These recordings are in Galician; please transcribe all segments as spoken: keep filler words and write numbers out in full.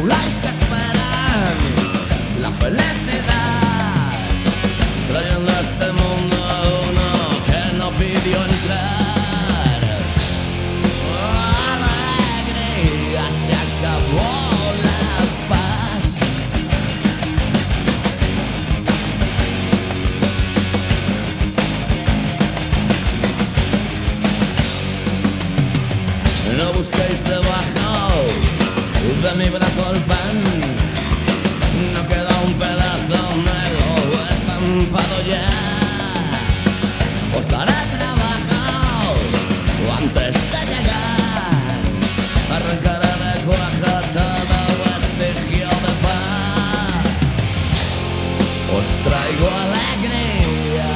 populares que esperan la felicidad, trayendo a este mundo a uno que no pidió entrar. Alegría, se acabó la paz. No busquéis debajo de mi brazo el pan, no queda un pedazo, me lo he estampado ya. Os daré trabajo antes de llegar, arrancaré de cuaja todo vestigio de paz. Os traigo alegría,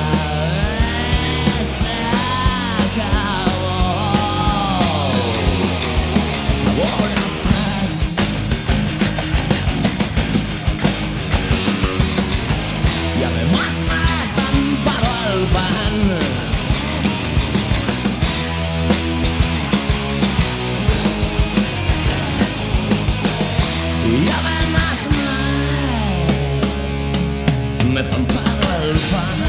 se acabó. Ahora paz. Y además me he estampado el pan. Y además me, me he estampado el pan.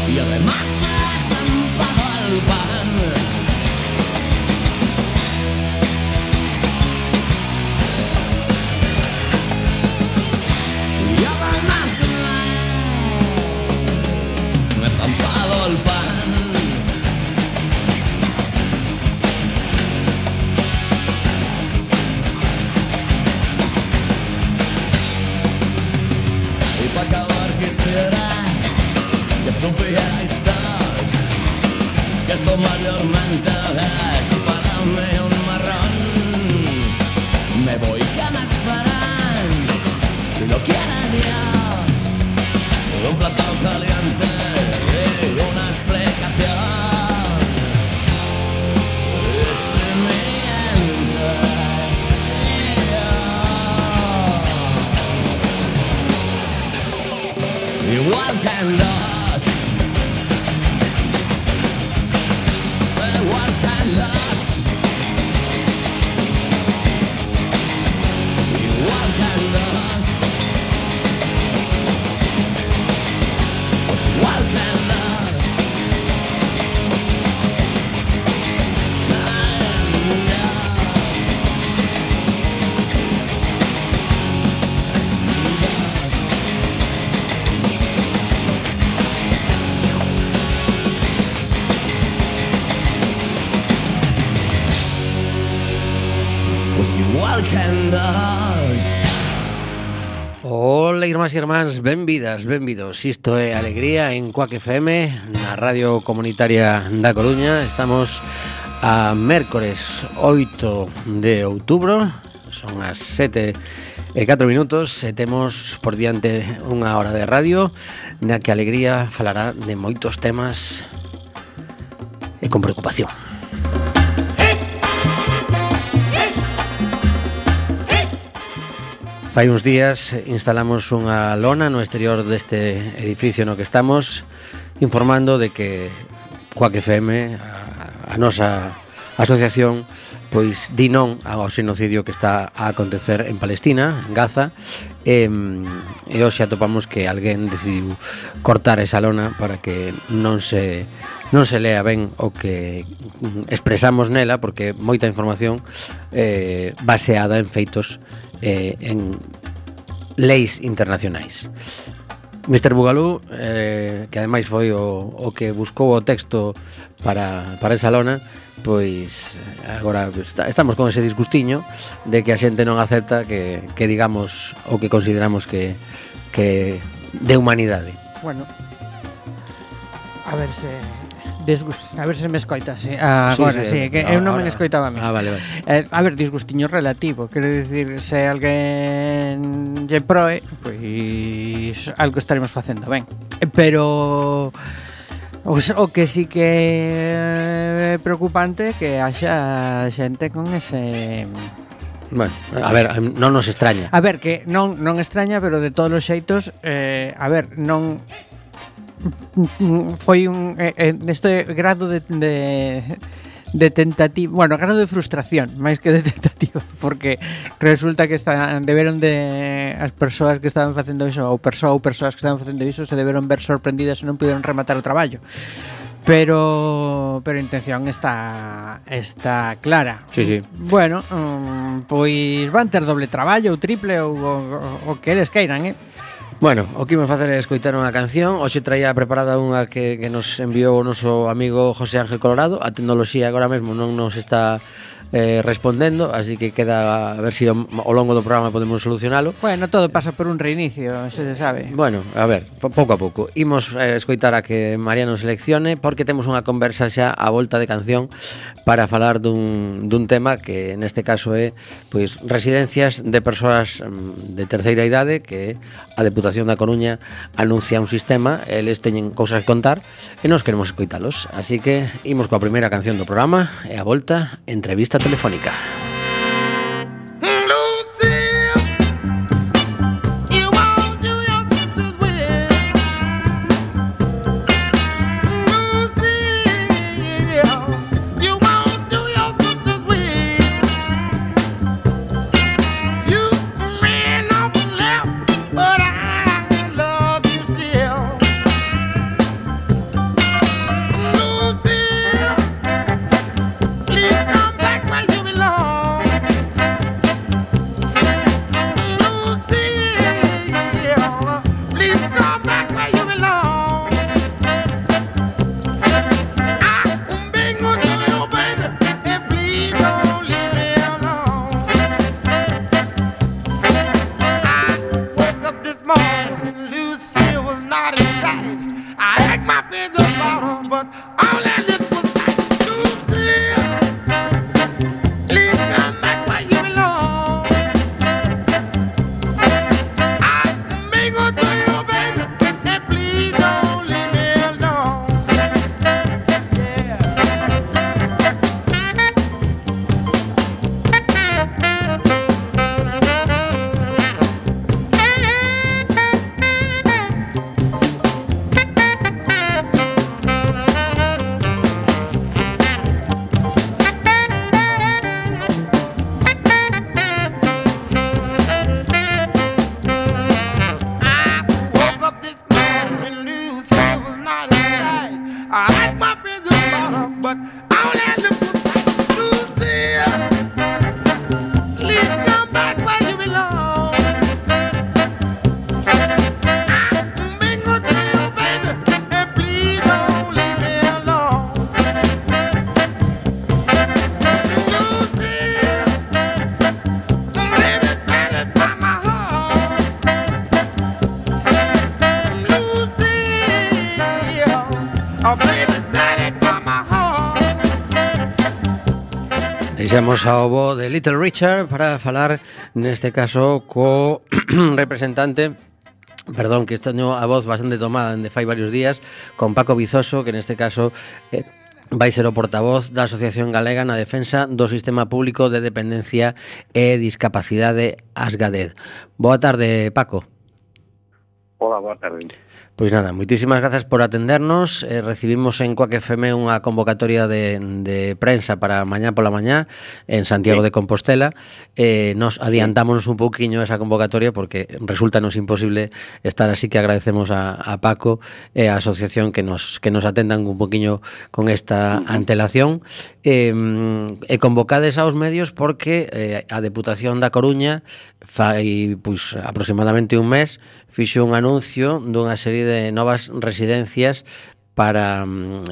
Y además me he estampado el pan. Y además me, me he estampado el pan. Y para acabar quisiera que supierais todos que esto mayormente es para mí un marrón. Me voy, que me esperan, si lo quiere Dios, un plato caliente y una explicación. Y si mientes, yo igual que en los igual que en los igual que en los pues igual que en los pues igual que en dos. Ola, irmás e irmáns, benvidas, benvidos. Isto é Alegría en Cuac F M, na Radio Comunitaria da Coruña. Estamos a mércores oito de outubro, son as sete e catro minutos, e temos por diante unha hora de radio na que Alegría falará de moitos temas e con preocupación. Fai uns días instalamos unha lona no exterior deste edificio no que estamos, informando de que Cuac F M, a, a nosa asociación, pois di non ao xenocidio que está a acontecer en Palestina, en Gaza, e, e hoxe atopamos que alguén decidiu cortar esa lona para que non se non se lea ben o que expresamos nela, porque moita información eh, baseada en feitos eh, en leis internacionais. mister Bugalú, eh, que ademais foi o, o que buscou o texto para, para esa lona, pois agora está, estamos con ese disgustiño de que a xente non acepta que, que digamos o que consideramos que, que de humanidade. Bueno, a ver se Desgust... A ver se me escoitas eh, agora, sí, sí, sí, que eu non me escoitaba a mí. Ah, vale, vale. Eh, a ver, disgustiño relativo, quero dicir, se alguén lle proe, pois algo estaremos facendo ben. Pero o, o que sí que é preocupante que haxa xente con ese... Bueno, a ver, non nos extraña. A ver, que non non extraña, pero de todos os xeitos, eh, a ver, non foi un eh, este grado de, de de tentativa, bueno, grado de frustración, máis que de tentativa, porque resulta que están deberon de as persoas que estaban facendo iso ou persoas ou persoas que estaban facendo iso se deberon ver sorprendidas e non puderon rematar o traballo. Pero pero a intención está está clara. Sí, sí. Bueno, um, pois van ter doble traballo ou triple ou o, o que eles queiran, eh. Bueno, o que imos facer é escoitar unha canción. Hoxe traía preparada unha que, que nos enviou o noso amigo José Ángel Colorado. A tecnoloxía agora mesmo non nos está eh, respondendo, así que queda a ver se si ao, ao longo do programa podemos solucionalo. Bueno, todo pasa por un reinicio, se se sabe. Bueno, a ver, pouco a pouco. Imos eh, escoitar a que Mariano seleccione, porque temos unha conversa xa a volta de canción para falar dun, dun tema que neste caso é pois residencias de persoas de terceira idade, que a Deputación da Coruña anuncia un sistema, eles teñen cousas que contar e nós queremos escoitalos. Así que imos coa primeira canción do programa e a volta, entrevista telefónica. Deixamos ao bo de Little Richard para falar neste caso co representante, perdón, que teño a voz bastante tomada de fai varios días, con Paco Vizoso, que neste caso eh, vai ser o portavoz da Asociación Galega na defensa do Sistema Público de Dependencia e Discapacidade Asgaded. Boa tarde, Paco. Hola, boa tarde. Pois nada, moitísimas grazas por atendernos. eh, Recibimos en Coac F M unha convocatoria de, de prensa para mañá pola mañá en Santiago sí. de Compostela. eh, Nos adiantámonos un pouquiño esa convocatoria porque resultanos imposible estar, así que agradecemos a, a Paco e a asociación que nos, que nos atendan un pouquiño con esta uh-huh. antelación. eh, E convocades aos medios porque eh, a Deputación da Coruña fai pois aproximadamente un mes fixo un anuncio dunha serie de novas residencias para,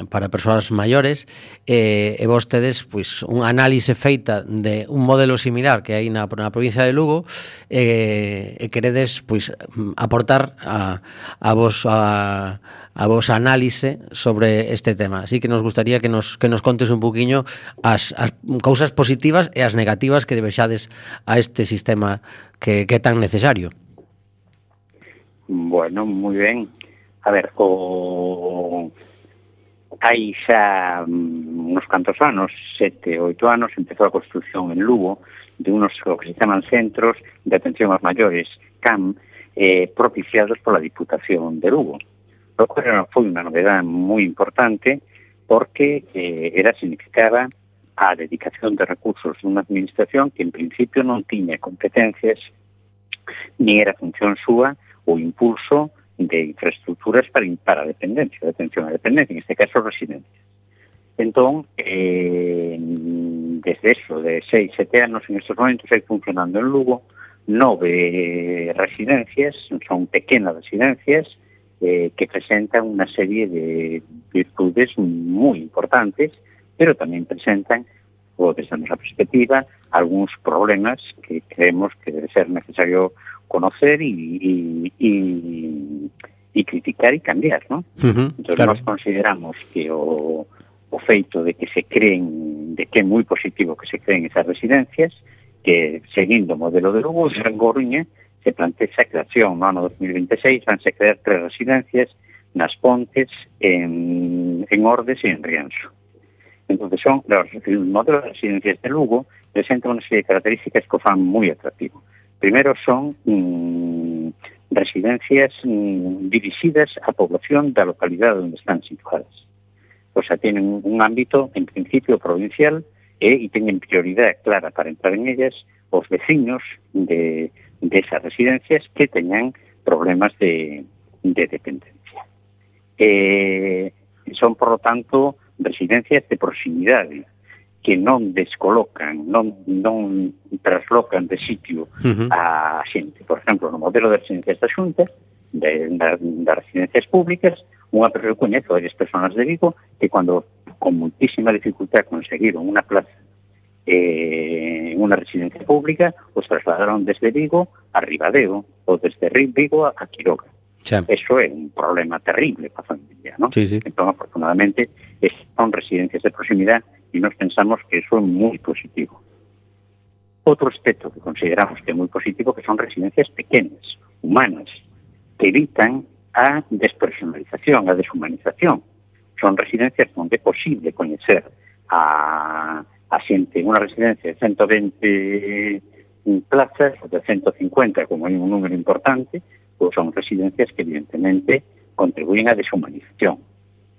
para persoas maiores, e, e vos tedes pois, un análise feita de un modelo similar que hai na, na provincia de Lugo, e, e queredes pois, aportar a, a vos a, a vos análise sobre este tema. Así que nos gustaría que nos, que nos contes un poquinho as, as cousas positivas e as negativas que debexades a este sistema que, que é tan necesario. Bueno, moi ben. A ver, o... hai xa uns cantos anos, sete, oito anos, empezou a construción en Lugo de unos que se chaman centros de atención aos maiores, C A M, eh, propiciados pola Diputación de Lugo. Lo cual foi unha novedade moi importante porque eh, era significaba a dedicación de recursos dunha administración que en principio non tiña competencias ni era función súa o impulso de infraestructuras para, para a dependencia, de atención á dependencia, en este caso residencias. Entón, eh, desde eso, de seis, sete anos, en estes momentos hai funcionando en Lugo nove residencias, son pequenas residencias, eh, que presentan unha serie de virtudes moi importantes, pero tamén presentan, ou desde a nosa perspectiva, algúns problemas que creemos que debe ser necesario conocer e, e, e, e criticar e cambiar, ¿no? Uh-huh, entón, claro. Nós consideramos que o, o feito de que se creen, de que é moi positivo que se creen esas residencias, que seguindo o modelo de Lugo, en Coruña, se plantea a creación no ano dos mil veintiséis, vanse crear tres residencias nas Pontes, en, en Ordes e en Rianxo. Entón, son, los, el modelo de residencias de Lugo presenta unha serie de características que o fan moi atractivo. Primero son mmm, residencias mmm, dirixidas á población da localidade onde están situadas. O sea, tienen un ámbito, en principio, provincial e, e teñen prioridade clara para entrar en ellas os veciños de, de esas residencias que teñan problemas de, de dependencia. Eh, son, por lo tanto, residencias de proximidade, que non descolocan, non, non traslocan de sitio uh-huh. a xente. Por exemplo, no modelo de residencias da Xunta, de, de, de residencias públicas, unha persoa coñece varias persoas de Vigo que cando con muitísima dificultad conseguiron unha plaza eh, en unha residencia pública, os trasladaron desde Vigo a Ribadeo ou desde Vigo a Quiroga. Sí. Eso é un problema terrible para a familia, ¿no? Sí, sí. Entón, afortunadamente, son residencias de proximidade e nos pensamos que eso é moi positivo. Outro aspecto que consideramos que é moi positivo que son residencias pequenas, humanas, que evitan a despersonalización, a deshumanización. Son residencias onde é posible coñecer a, a xente en unha residencia de ciento veinte plazas, ou de ciento cincuenta, como hai un número importante, pois son residencias que evidentemente contribuyen á deshumanización.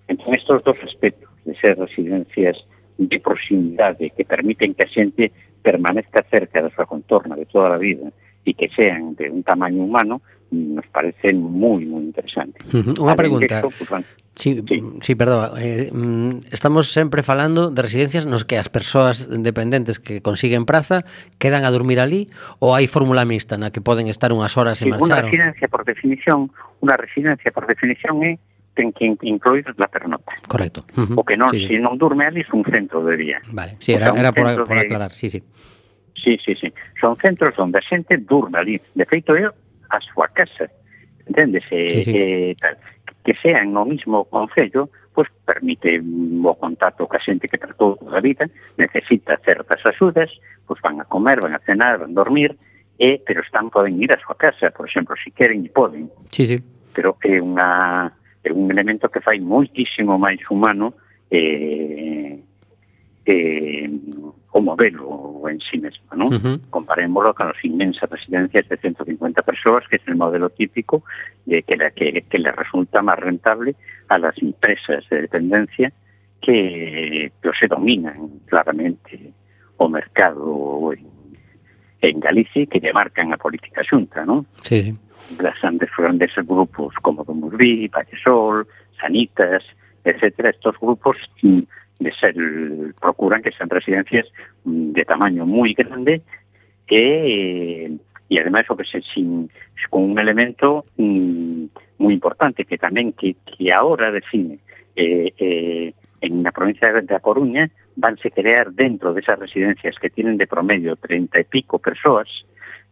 Entón, estos dos aspectos de ser residencias de proximidade que permiten que a xente permanezca cerca da súa contorna de toda a vida e que sean de un tamaño humano, nos parecen moi, moi interesantes. Uh-huh. Unha pregunta. Esto, pues, bueno, Sí, sí. sí, perdón. Eh, estamos sempre falando de residencias nos que as persoas dependentes que consiguen praza quedan a dormir ali, ou hai fórmula mixta na que poden estar unhas horas e sí, marchar? Unha residencia, por definición, unha residencia por definición é ten que incluir la pernota. Correcto. Uh-huh. O que non, sí, sí. se non durme ali, é un centro de día. Vale, sí, era, o sea, era por, por aclarar, sí, sí. Sí, sí, sí. Son centros onde a xente durme ali. De feito, é a súa casa. Enténdese? Sí, sí. Eh, tal. Que sean no mismo concello, pues permite o contacto ca xente que tratou toda a vida, necesita certas axudas, pues van a comer, van a cenar, van a dormir, e, pero están, poden ir a súa casa, por exemplo, se queren e poden. Sí, sí. Pero é unha é un elemento que fai moitísimo máis humano eh, eh, o modelo en sí mesmo, ¿no? Uh-huh. Comparémoslo con as inmensas residencias de ciento cincuenta persoas, que es el modelo típico de que, la, que, que le resulta máis rentable a las empresas de dependencia que, que se dominan claramente o mercado en, en Galicia que lle marcan a política xunta, ¿no? Sí, sí. Las grandes, grandes grupos como Domurbí, Vallesol, Sanitas, etcétera, estos grupos de ser, procuran que sean residencias de tamaño muy grande que, y además o que se, sin, con un elemento mm, muy importante que también que, que ahora define eh, eh, en la provincia de A Coruña vanse crear dentro de esas residencias que tienen de promedio treinta y pico persoas,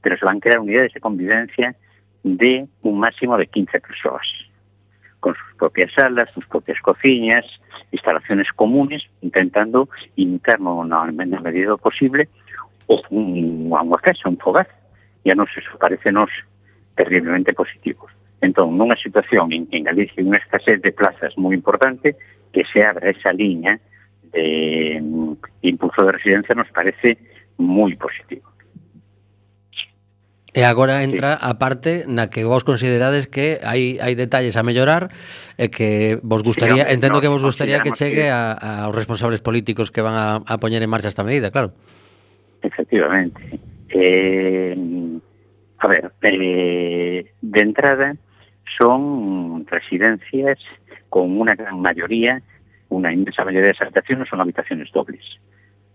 pero se van a crear unidades de convivencia de un máximo de quince persoas, con sus propias salas, sus propias cocinas, instalaciones comunes, intentando imitar no, no, na medida posible o un, unha casa, un fogar. E a nos eso parecenos terriblemente positivos. Entón, nunha situación en, en Galicia, unha escasez de plazas moi importante, que se abra esa liña de um, impulso de residencia nos parece moi positivo. E agora entra a parte na que vos considerades que hai hai detalles a mellorar e que vos gustaría, sí, entendo no, que vos gustaría que chegue que... a, aos responsables políticos que van a, a poñer en marcha esta medida, claro. Efectivamente. Eh, a ver, eh, de entrada son residencias con una gran mayoría, una inmensa mayoría de esas habitaciones son habitaciones dobles.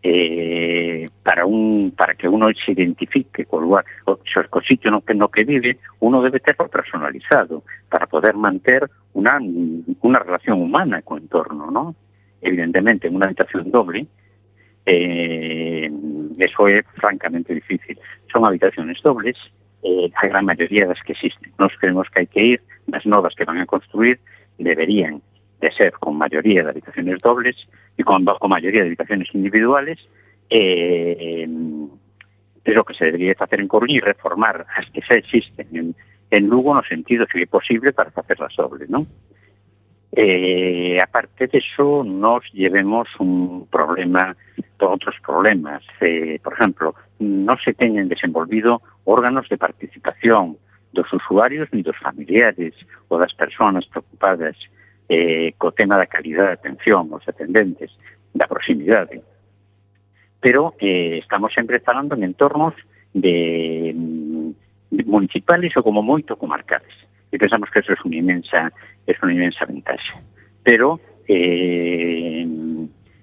Eh, para un para que uno se identifique con lugar, o, o sitio no que, no que vive, uno debe terlo personalizado para poder manter una, una relación humana con el entorno, ¿no? Evidentemente, en una habitación doble, eh, eso es francamente difícil. Son habitaciones dobles, eh, a gran mayoría de las que existen. Nos creemos que hay que ir, las novas que van a construir deberían de ser con mayoría de habitaciones dobles y con, con mayoría de habitaciones individuales, eh, es lo que se debería hacer en Coruña y reformar las que ya existen en, en Lugo no sentido que es posible para hacerlas dobles, ¿no? Eh, aparte de eso, nos llevemos un problema, otros problemas. Eh, por ejemplo, no se teñen desenvolvido órganos de participación dos usuarios ni dos familiares ou das persoas preocupadas eh, co tema da calidad de atención aos atendentes, da proximidade. Pero eh, estamos sempre falando en entornos de, de municipales ou como moito comarcales. E pensamos que eso es unha inmensa, es unha inmensa ventaxa. Pero eh,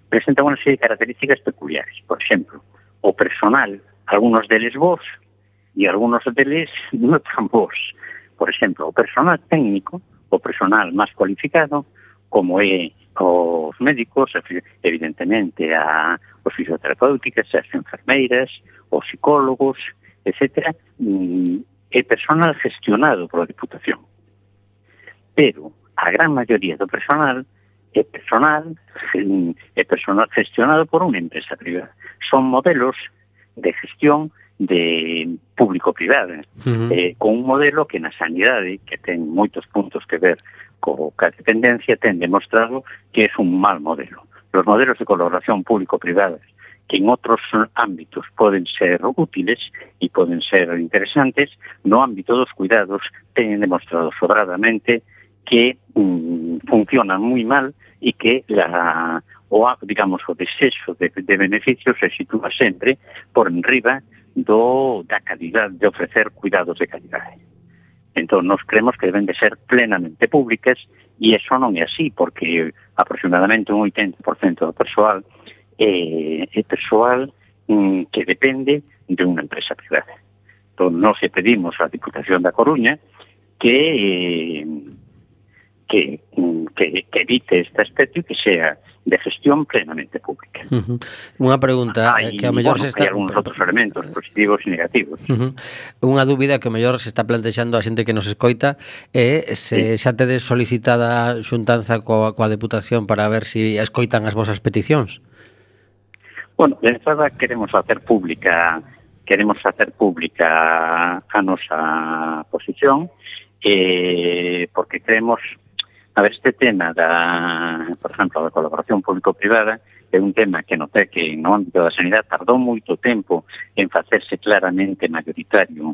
presenta unha serie de características peculiares. Por exemplo, o personal, algunos deles vos e algunos deles non tan vos. Por exemplo, o personal técnico, o personal máis cualificado, como é os médicos, evidentemente a, os fisioterapéuticas, as enfermeiras, os psicólogos, etcétera, é personal gestionado pola Diputación. Pero a gran maioría do personal é personal, é personal gestionado por unha empresa privada. Son modelos de gestión de público-privada, uh-huh. eh, con un modelo que na sanidade, que ten moitos puntos que ver co ca dependencia, ten demostrado que é un mal modelo. Los modelos de colaboración público-privada, que en outros ámbitos poden ser útiles e poden ser interesantes, no ámbito dos cuidados teñen demostrado sobradamente que mm, funcionan moi mal e que la, o, digamos, o desexo de, de beneficios se sitúa sempre por enriba do, da calidad, de ofrecer cuidados de calidade. Entón, nos creemos que deben de ser plenamente públicas e eso non é así, porque aproximadamente un oitenta por cento do persoal é, é persoal mm, que depende de unha empresa privada. Entón, nos pedimos á Diputación da Coruña que, eh, que, que, que evite este aspecto e que sea de gestión plenamente pública. Uh-huh. Unha pregunta hay, que ao mellor bueno, se está... hai algúns outros elementos positivos e negativos. Uh-huh. Unha dúbida que ao mellor se está plantexando a xente que nos escoita é se sí. xa tedes solicitada xuntanza coa, coa Deputación para ver se si escoitan as vosas peticións. Bueno, de entrada queremos hacer pública queremos hacer pública a nosa posición eh, porque creemos. A ver, este tema da, por exemplo, da colaboración público-privada é un tema que notei que no ámbito da sanidade tardou moito tempo en facerse claramente mayoritario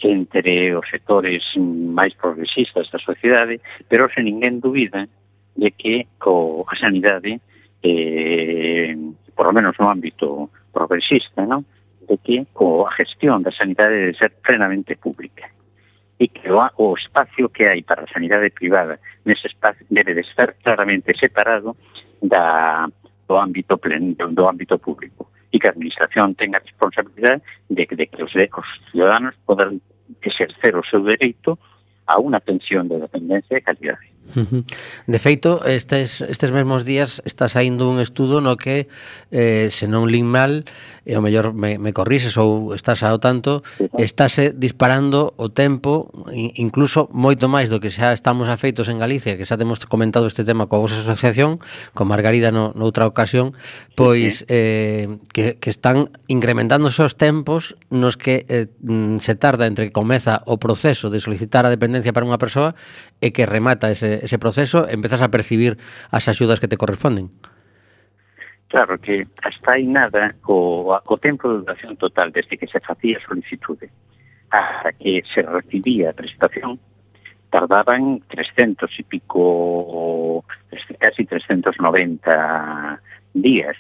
entre os sectores máis progresistas da sociedade, pero sen ninguén dúbida de que co, a sanidade, eh, por lo menos no ámbito progresista, ¿no?, de que co, a gestión da sanidade debe ser plenamente pública. E que o, o espacio que hai para a sanidade privada nese espacio debe de estar claramente separado da, do ámbito plen, do ámbito público e que a administración tenga a responsabilidade de, de que os, os ciudadanos podan exercer o seu dereito a unha pensión de dependencia de calidade. Uh-huh. De feito, estes, estes mesmos días está saindo un estudo no que, eh, se non lin mal, e ao mellor me, me corrises ou estás ao tanto, estáse disparando o tempo, incluso moito máis do que xa estamos afeitos en Galicia, que xa temos comentado este tema coa vosa asociación, con Margarida no, noutra ocasión, pois eh, que, que están incrementándose os tempos nos que eh, se tarda entre que comeza o proceso de solicitar a dependencia para unha persoa e que remata ese, ese proceso, empezas a percibir as axudas que te corresponden. Claro que hasta aí nada o, o tempo de duración total desde que se facía a solicitude hasta que se recibía a prestación tardaban trescientos e pico, casi trescientos noventa días,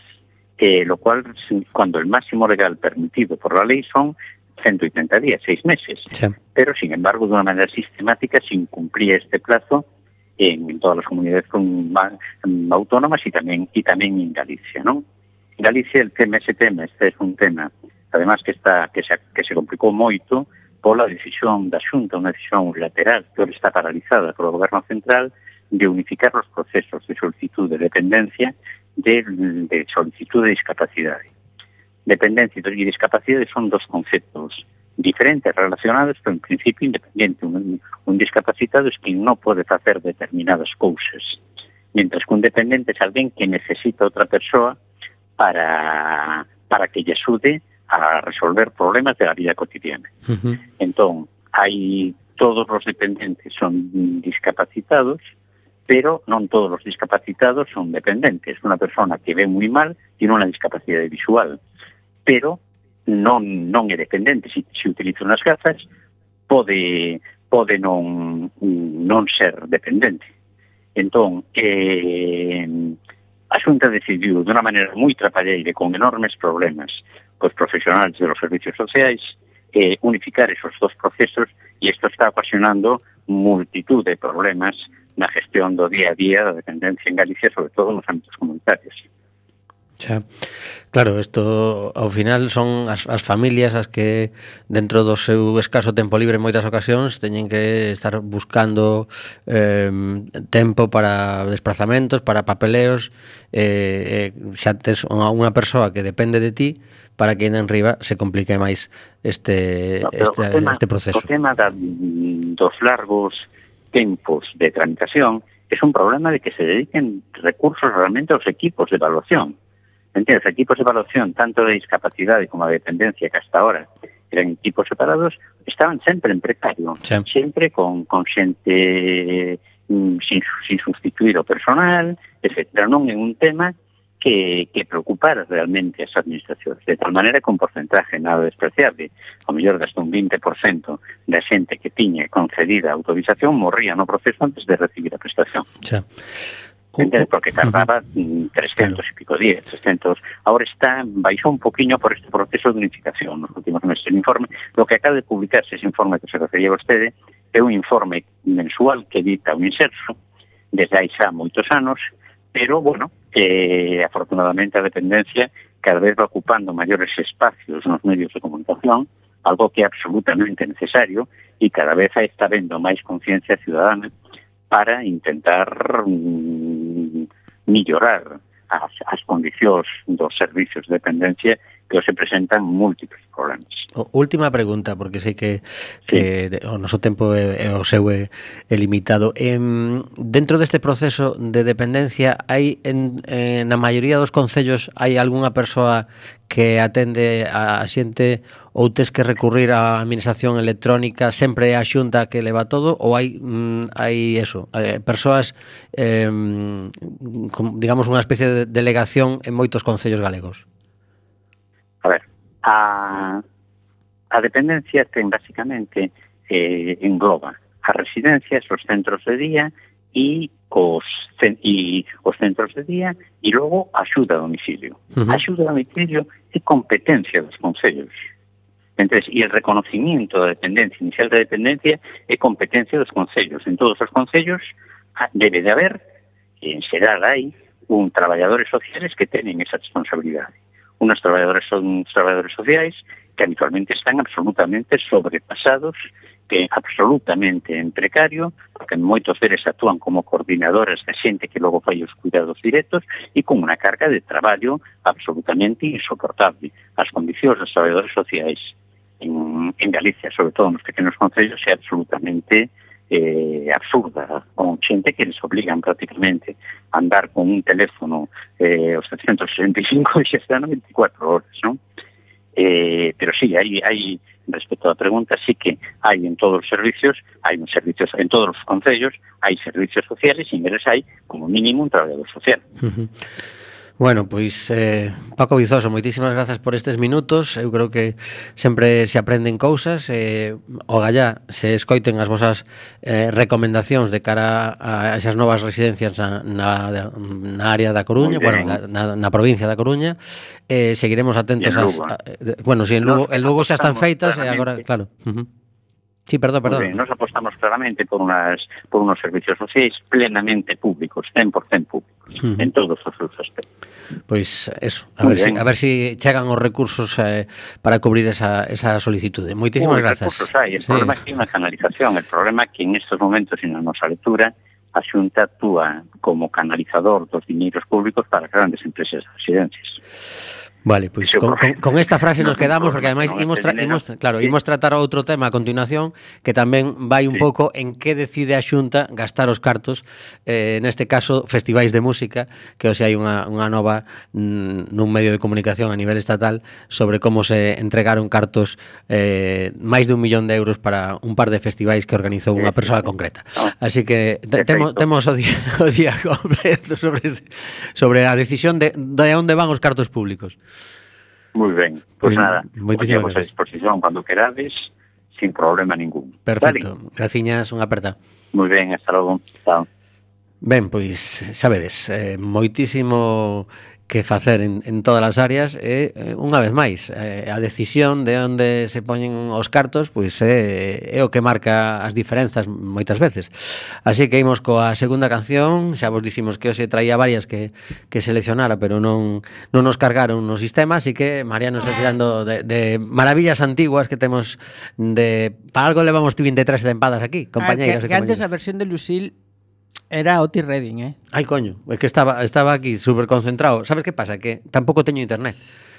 eh, lo cual, cuando el máximo legal permitido por la ley son ciento ochenta días, seis meses. Sí. Pero, sin embargo, de una manera sistemática se incumplía este plazo en, en todas las comunidades autónomas y también, y también en Galicia, ¿no? En Galicia el tema, ese tema, este es un tema, además que está que se, que se complicou moito pola decisión da Xunta, unha decisión unilateral que ahora está paralizada polo Goberno Central de unificar os procesos de solicitud de dependencia de, de solicitud de discapacidade. Dependencia y discapacidad son dos conceptos diferentes, relacionados, pero en principio independiente. Un, un discapacitado es quien no puede hacer determinadas cousas, mientras que un dependiente es alguien que necesita otra persona para, para que lle axude a resolver problemas de la vida cotidiana. Uh-huh. Entón, hai todos os dependentes son discapacitados, pero non todos os discapacitados son dependentes. Unha persona que ve moi mal tiene unha discapacidade visual, pero non non é dependente. Se, se utiliza unhas gafas, pode pode non non ser dependente. Entón, eh, a Xunta decidiu de unha maneira moi trapalleira, con enormes problemas cos profesionales de los servicios sociais, eh, unificar esos dos procesos, e isto está ocasionando multitud de problemas na gestión do día a día da dependencia en Galicia, sobre todo nos ámbitos comunitarios. Xa. Claro, isto ao final son as, as familias as que dentro do seu escaso tempo libre en moitas ocasións teñen que estar buscando eh, tempo para desplazamentos, para papeleos, eh, eh, xa tes unha, unha persoa que depende de ti para que en riba se complique máis este, no, este, tema, este proceso. O tema da, dos largos tempos de tramitación é un problema de que se dediquen recursos realmente aos equipos de evaluación. Entiendes, equipos de evaluación, tanto de discapacidade como de dependencia, que hasta ahora eran equipos separados, estaban sempre en precario, sí. Sempre con, con xente mm, sin, sin sustituir o personal, etcétera. Non é un tema que, que preocupara realmente as administracións, de tal maneira que un porcentaje nada despreciable, ao mellor hasta un veinte por ciento da xente que tiña concedida a autorización morría no proceso antes de recibir a prestación. Sí. Entende? Porque tardaba trescientos claro. Y pico días, trescientos. Ahora está, baixou un poquinho por este proceso de unificación nos últimos meses. El informe, lo que acaba de publicarse, ese informe que se refería a vostede, é un informe mensual que edita un inserso desde hai xa moitos anos, pero, bueno, eh, afortunadamente a dependencia cada vez va ocupando maiores espacios nos medios de comunicación, algo que é absolutamente necesario, e cada vez está vendo máis conciencia ciudadana para intentar mm, mellorar as, as condicións dos servicios de dependencia que se presentan múltiples problemas. O, última pregunta, porque sei que, que sí. O noso tempo é, é o seu é, é limitado. Eh, dentro deste proceso de dependencia, hai en, en na maioría dos concellos hai algunha persoa que atende a xente ou tes que recurrir á administración electrónica, sempre é a Xunta que leva todo, ou hai mm, hai eso, eh, persoas eh, con, digamos unha especie de delegación en moitos concellos galegos? A ver, a, a dependencia ten basicamente eh, engloba as residencias, os centros de día e os, e os centros de día e logo a axuda a domicilio. Uh-huh. A axuda a domicilio é competencia dos concellos. Entonces, e el reconocimiento da dependencia, inicial da dependencia, é competencia dos concellos. En todos os concellos debe de haber, en xeral hai, un traballadores sociales que tenen esa responsabilidade. Unos traballadores son traballadores sociais que habitualmente están absolutamente sobrepasados, que absolutamente en precario, porque que moitos deles actúan como coordinadores da xente que logo fai os cuidados directos e con unha carga de traballo absolutamente insoportable. As condicións dos traballadores sociais en, en Galicia, sobre todo nos pequenos concellos, é absolutamente eh, absurda, con xente que les obligan prácticamente a andar con un teléfono eh, os setecientos sesenta e cinco e xa están veinticuatro horas, non? Eh, pero sí, hai, hai, respecto á pregunta, sí que hai en todos os servicios, hai en servicios, en todos os concellos, hai servicios sociales e en eles hai, como mínimo, un traballador social. Uh-huh. Bueno, pois, eh, Paco Vizoso, moitísimas grazas por estes minutos. Eu creo que sempre se aprenden cousas. Eh, o gallá, se escoiten as vosas eh, recomendacións de cara a esas novas residencias na, na, na área da Coruña, bueno, na, na provincia da Coruña. Eh, seguiremos atentos ás... A, bueno, si en Lugo, en Lugo xa están feitas e agora, claro... Uh-huh. Sí, perdón, perdón. Bien, nos apostamos claramente por unas por unos servicios sociais plenamente públicos, cen por cen públicos, uh-huh. en todos os seus aspectos. Pois eso, a ver, si, a ver si chegan os recursos eh, para cubrir esa, esa solicitude. Moitísimas Uy, grazas. Recursos hai, el sí. problema é que hai unha canalización, el problema é que en estes momentos, en a nosa lectura, a Xunta actúa como canalizador dos diñeiros públicos para grandes empresas de residencias. Vale, pois pues con, con, con esta frase nos quedamos porque ademais imos, tra imos, claro, imos tratar outro tema a continuación que tamén vai un sí. pouco en que decide a Xunta gastar os cartos, eh, neste caso festivais de música, que hoxe hai unha, unha nova mm, nun medio de comunicación a nivel estatal sobre como se entregaron cartos eh, máis de un millón de euros para un par de festivais que organizou unha persoa concreta. Así que temos, temos o día, o día completo sobre, sobre a decisión de, de onde van os cartos públicos. Muy ben, pois pues nada, moitísimas a disposición cando querades, sin problema ningún. Perfecto, vale. Graciñas, unha aperta. Muy ben, hasta logo. Chao. Ben, pois, xa vedes, eh, moitísimo que facer en, en todas as áreas e, eh, unha vez máis, eh, a decisión de onde se poñen os cartos pois é, é o que marca as diferenzas moitas veces. Así que imos coa segunda canción. Xa vos dicimos que hoxe traía varias que, que seleccionara, pero non, non nos cargaron no sistema, así que Mariano está tirando de, de maravillas antiguas que temos de... Para algo levamos vinte e tres tempadas aquí, compañeiros. Ah, que, que antes a versión de Lucille era Otis Redding, eh? Ai, coño, é que estaba estaba aquí super concentrado. Sabes que pasa? Que tampouco teño internet.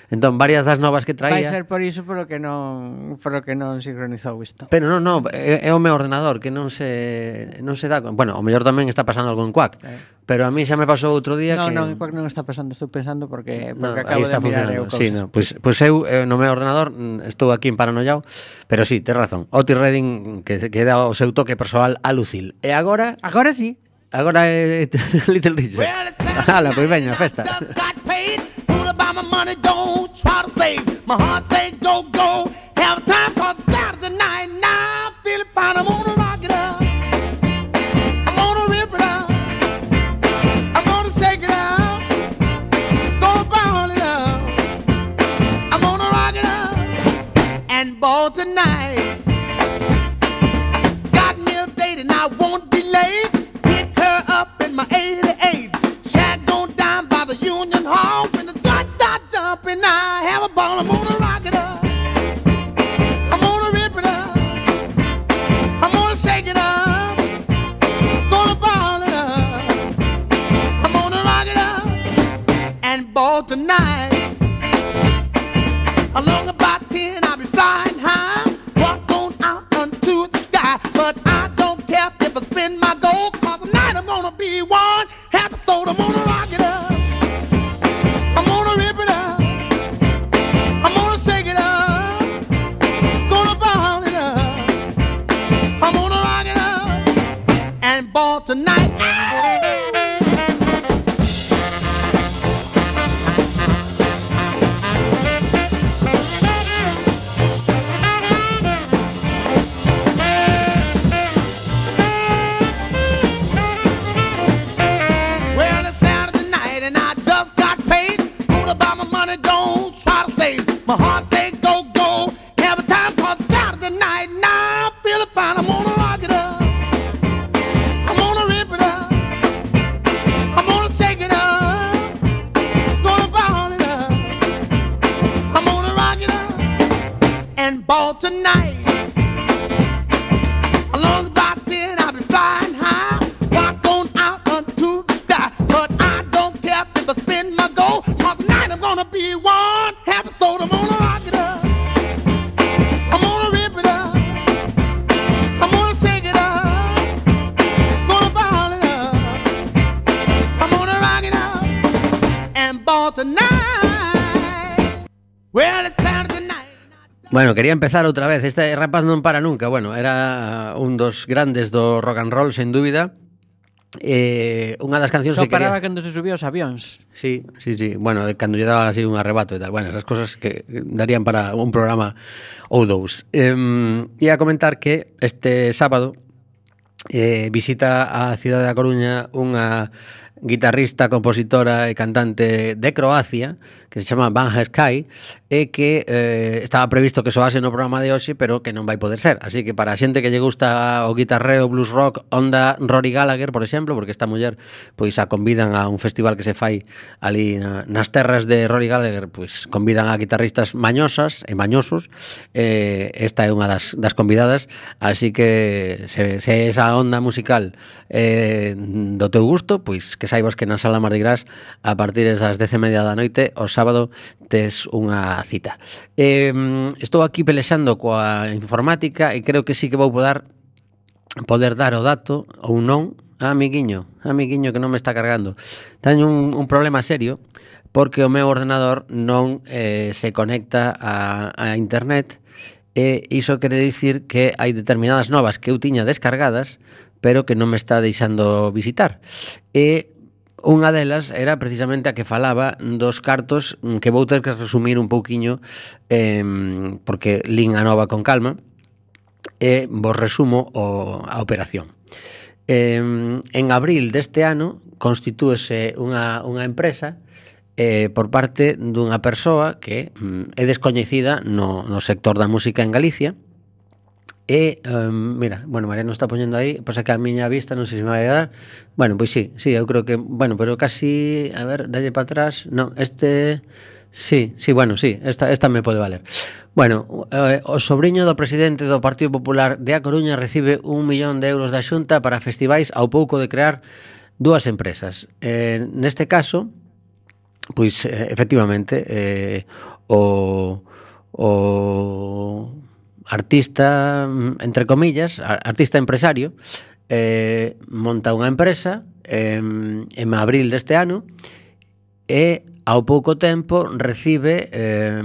Entón, varias das novas que traía... Vai ser por iso polo que non por lo que non sincronizou isto. Pero non, non, é, é o meu ordenador que non se non se dá... Bueno, o mellor tamén está pasando algo en Quack. Eh. Pero a mí xa me pasou outro día no, que... Non, non, en Quack non está pasando, estou pensando porque, porque no, acabo está de mirar eu cousas. Sí, no, pois, pois eu eh, no meu ordenador estou aquí en Paranoiao, pero sí, tes razón. Otis Redding que, que dá o seu toque persoal a Lucille. E agora... Agora sí. Agora é Little Richard. Ala, pois veña, festa. Money, don't try to save. My heart say go, go. Have time for Saturday night. Now I feel it fine. I'm gonna rock it up. I'm gonna rip it up. I'm gonna shake it up. Gonna ball it up. I'm gonna rock it up and ball tonight. Got me a date and I won't be late. Pick her up in my eighty-eight. Shag go down by the Union Hall when the and I have a ball, I'm gonna rock it up. I'm gonna rip it up. I'm gonna shake it up. Gonna ball it up. I'm gonna rock it up and ball tonight. Along about ten, I'll be flying high. Walk on out unto the sky. But I don't care if I spin my gold, cause tonight I'm gonna be one happy soul. I'm gonna rock it up. I'm gonna rip it up. Ball tonight. Well, it's Saturday night and I just got paid. Ruled about my money, don't try to save. My heart say go, go. Have a time for Saturday night. Now I feel it fine. I'm gonna rock it up. Ball tonight. Along about ten, I'll be flying high. tonight. Well, it's Saturday night. Bueno, quería empezar outra vez. Este rapaz non para nunca. Bueno, era un dos grandes do rock and roll, sen dúbida. Eh, unha das cancións Só que quería... paraba cando se subía os avións. Sí, sí, sí. Bueno, cando lle daba así un arrebato e tal. Bueno, esas cosas que darían para un programa ou dous. Eh, ia comentar que este sábado eh, visita a cidade da Coruña unha guitarrista, compositora e cantante de Croacia que se chama Vanja Sky e que eh, estaba previsto que soase no programa de hoxe, pero que non vai poder ser. Así que para a xente que lle gusta o guitarreo, blues rock, onda Rory Gallagher, por exemplo, porque esta muller pois a convidan a un festival que se fai ali na, nas terras de Rory Gallagher, pois convidan a guitarristas mañosas e mañosos. Eh, esta é unha das, das convidadas, así que se, se esa onda musical eh, do teu gusto, pois que saibas que na Sala Mardi Gras a partir das dez e media da noite o sábado tes unha cita. Eh, estou aquí pelexando coa informática e creo que sí que vou poder poder dar o dato ou non. Ah, amiguiño, amiguiño que non me está cargando. Teño un, un problema serio porque o meu ordenador non eh, se conecta a, a internet e iso quere dicir que hai determinadas novas que eu tiña descargadas pero que non me está deixando visitar. E unha delas era precisamente a que falaba dos cartos, que vou ter que resumir un pouquiño eh, porque lín a nova con calma e vos resumo o, a operación. Eh, en abril deste ano constitúese unha, unha empresa eh, por parte dunha persoa que mm, é descoñecida no, no sector da música en Galicia. E, um, mira, bueno, María non está poñendo aí, pois é que a miña vista non sei se me vai a dar. Bueno, pois sí, sí, eu creo que, bueno, pero casi, a ver, dalle para atrás. Non, este, sí, sí, bueno, sí, esta, esta me pode valer. Bueno, eh, o sobrinho do presidente do Partido Popular de A Coruña recibe un millón de euros da Xunta para festivais ao pouco de crear dúas empresas. Eh, neste caso, pois, eh, efectivamente, eh, o... o artista, entre comillas, artista empresario, eh, monta unha empresa eh, en abril deste ano e ao pouco tempo recibe eh,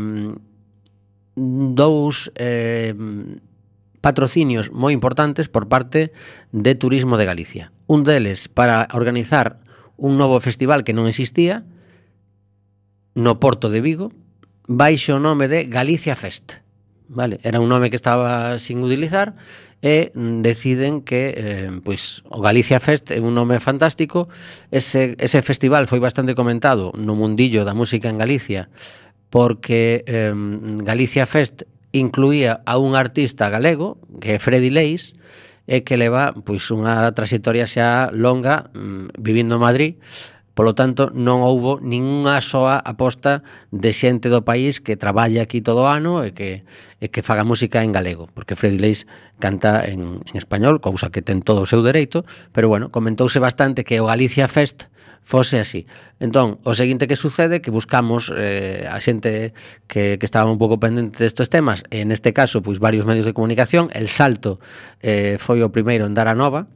dous eh, patrocinios moi importantes por parte de Turismo de Galicia. Un deles para organizar un novo festival que non existía no Porto de Vigo baixo o nome de Galicia Fest. Vale, era un nome que estaba sin utilizar e deciden que eh, pois, o Galicia Fest é un nome fantástico. Ese, ese festival foi bastante comentado no mundillo da música en Galicia porque eh, Galicia Fest incluía a un artista galego que é Freddy Leis e que leva pois, unha trayectoria xa longa mm, vivindo en Madrid. Polo tanto, non houbo ningunha soa aposta de xente do país que traballe aquí todo o ano e que, e que faga música en galego, porque Freddy Leis canta en, en español, cousa que ten todo o seu dereito, pero bueno, comentouse bastante que o Galicia Fest fose así. Entón, o seguinte que sucede que buscamos eh, a xente que, que estaba un pouco pendente destes temas, e neste caso, pois varios medios de comunicación. El Salto eh, foi o primeiro en dar a nova,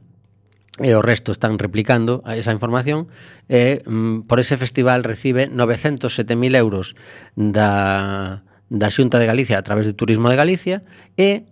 e o resto están replicando esa información e mm, por ese festival recibe novecentos sete mil euros da, da Xunta de Galicia a través de Turismo de Galicia e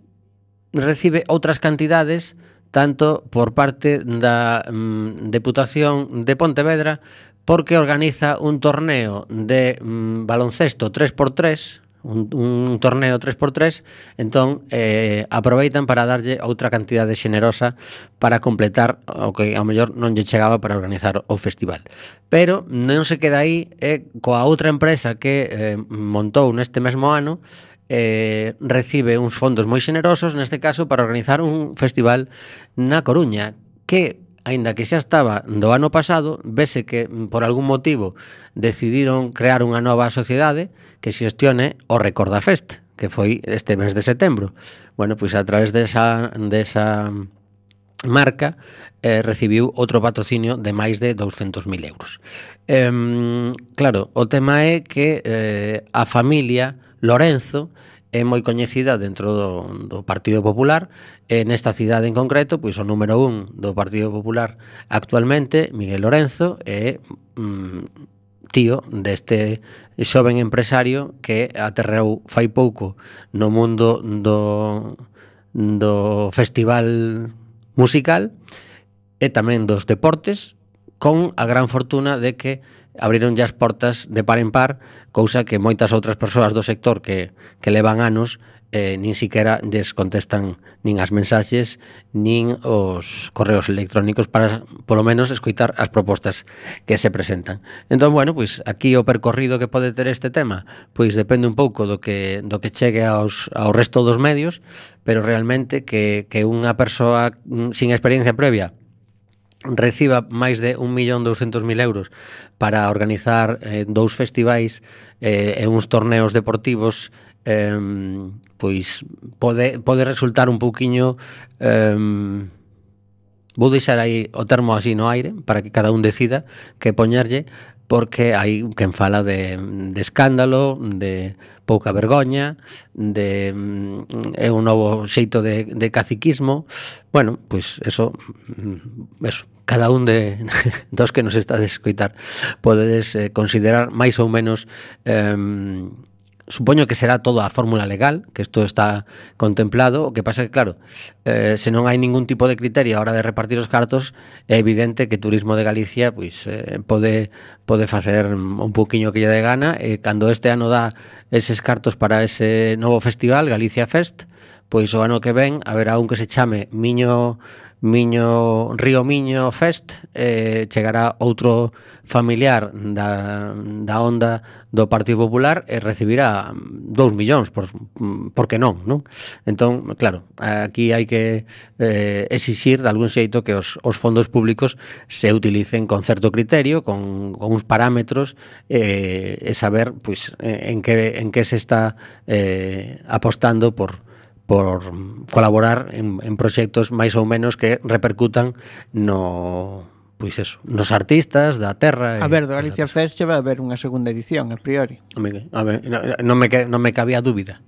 recibe outras cantidades tanto por parte da mm, Deputación de Pontevedra porque organiza un torneo de mm, baloncesto tres por tres, un, un torneo tres por tres, entón eh, aproveitan para darlle outra cantidade xenerosa para completar o que ao mellor non lle chegaba para organizar o festival. Pero non se queda aí, eh, coa outra empresa que eh, montou neste mesmo ano, eh, recibe uns fondos moi xenerosos, neste caso para organizar un festival na Coruña, que aínda que xa estaba do ano pasado, vese que por algún motivo decidiron crear unha nova sociedade que xestione o Recorda Fest, que foi este mes de setembro. Bueno, pois a través desa, desa marca eh, recibiu outro patrocinio de máis de douscentos mil euros. Eh, claro, o tema é que eh, a familia Lorenzo é moi coñecida dentro do, do Partido Popular e nesta cidade en concreto, pois o número un do Partido Popular actualmente, Miguel Lorenzo, é mm, tío deste xoven empresario que aterreu fai pouco no mundo do, do festival musical e tamén dos deportes, con a gran fortuna de que abriron as portas de par en par, cousa que moitas outras persoas do sector que, que levan anos eh, nin siquiera des contestan nin as mensaxes nin os correos electrónicos para, polo menos, escoitar as propostas que se presentan. Entón, bueno, pois aquí o percorrido que pode ter este tema, pois depende un pouco do que do que chegue aos ao resto dos medios, pero realmente que que unha persoa sin experiencia previa reciba máis de un millón douscentos mil euros para organizar eh, dous festivais eh, e uns torneos deportivos, eh, pois pode, pode resultar un pouquiño, eh, vou deixar aí o termo así no aire para que cada un decida que poñerlle, porque hai quen fala de, de escándalo, de pouca vergoña, de é un novo xeito de, de caciquismo. Bueno, pois eso, eso cada un de dos que nos estades escoitar podedes eh, considerar máis ou menos, eh, supoño que será toda a fórmula legal, que isto está contemplado. O que pasa é que, claro, eh, se non hai ningún tipo de criterio a hora de repartir os cartos, é evidente que Turismo de Galicia pois eh, pode pode facer un pouquiño que lle dé gana, e cando este ano dá eses cartos para ese novo festival, Galicia Fest, pois o ano que ven haberá un que se chame Miño Miño Río Miño Fest, eh, chegará outro familiar da, da onda do Partido Popular e recibirá dous millóns, por, por que non, non? Entón, claro, aquí hai que eh, exixir de algún xeito que os, os fondos públicos se utilicen con certo criterio, con, con uns parámetros, eh, e saber pois, en, que, en que se está eh, apostando por por colaborar en, en proxectos máis ou menos que repercutan no, pois eso, nos artistas da terra. A ver, do Galicia Fest vai haber unha segunda edición, a priori. A ver, non me, non me cabía dúbida.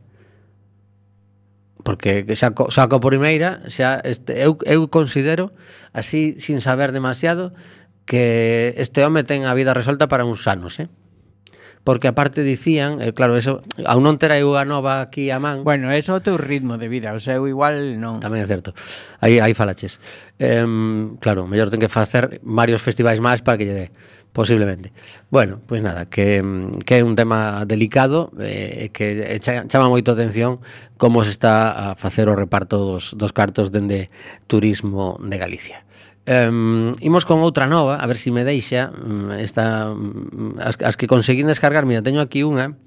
Porque xa, xa co primeira, xa, este, eu, eu considero, así, sin saber demasiado, que este home ten a vida resolta para uns anos, eh? Porque aparte dicían, eh, claro, eso, ao non ter a Iuga Nova aquí a man. Bueno, eso é o teu ritmo de vida, o sea, eu igual non. Tamén é certo. Aí aí falaches. Eh, claro, mellor ten que facer varios festivais máis para que lle dé, posiblemente. Bueno, pois pues nada, que que é un tema delicado, eh, que chama moito atención como se está a facer o reparto dos dos cartos dende Turismo de Galicia. Um, imos con outra nova, a ver se si me deixa esta, as, as que conseguín descargar. Mira, teño aquí unha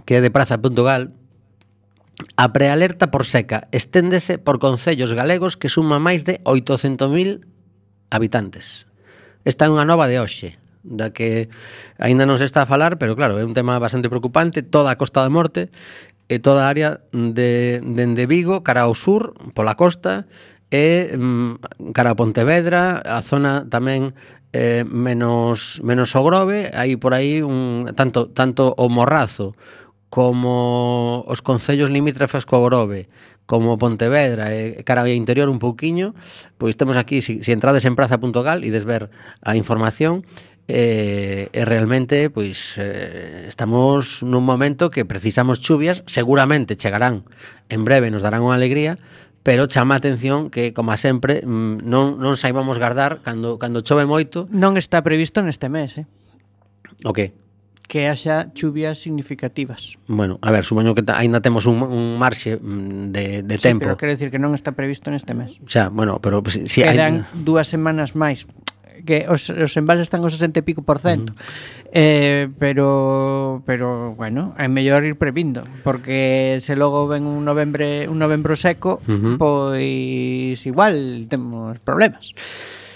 que é de praza punto gal. A prealerta por seca esténdese por concellos galegos que suma máis de oitocentos mil habitantes. Esta é unha nova de hoxe, da que aínda non se está a falar, pero claro, é un tema bastante preocupante. Toda a Costa da Morte e toda a área de, de Vigo cara ao sur, pola costa, e cara a Pontevedra, a zona tamén eh, menos menos o Grove, hai por aí un, tanto tanto o Morrazo como os concellos limítrofes co Grove, como Pontevedra e cara ao interior un pouquiño, pois temos aquí, se si, si entrades en praza punto gal e des ver a información, e, e realmente pois eh, estamos nun momento que precisamos chuvias, seguramente chegarán en breve, nos darán unha alegría, pero chama a atención que, como sempre, non, non saibamos guardar cando, cando chove moito. Non está previsto neste mes, eh? O que? Que haxa chuvias significativas. Bueno, a ver, supoño que aínda temos un, un marxe de, de sí, tempo. Pero quero dicir que non está previsto neste mes. Xa, bueno, pero si, si quedan hai... dúas semanas máis, que os, os embalses están ao sesenta e pico por cento. Uh-huh. eh, pero pero bueno, é mellor ir previndo, porque se logo ven un novembre un novembro seco, uh-huh, pois igual temos problemas.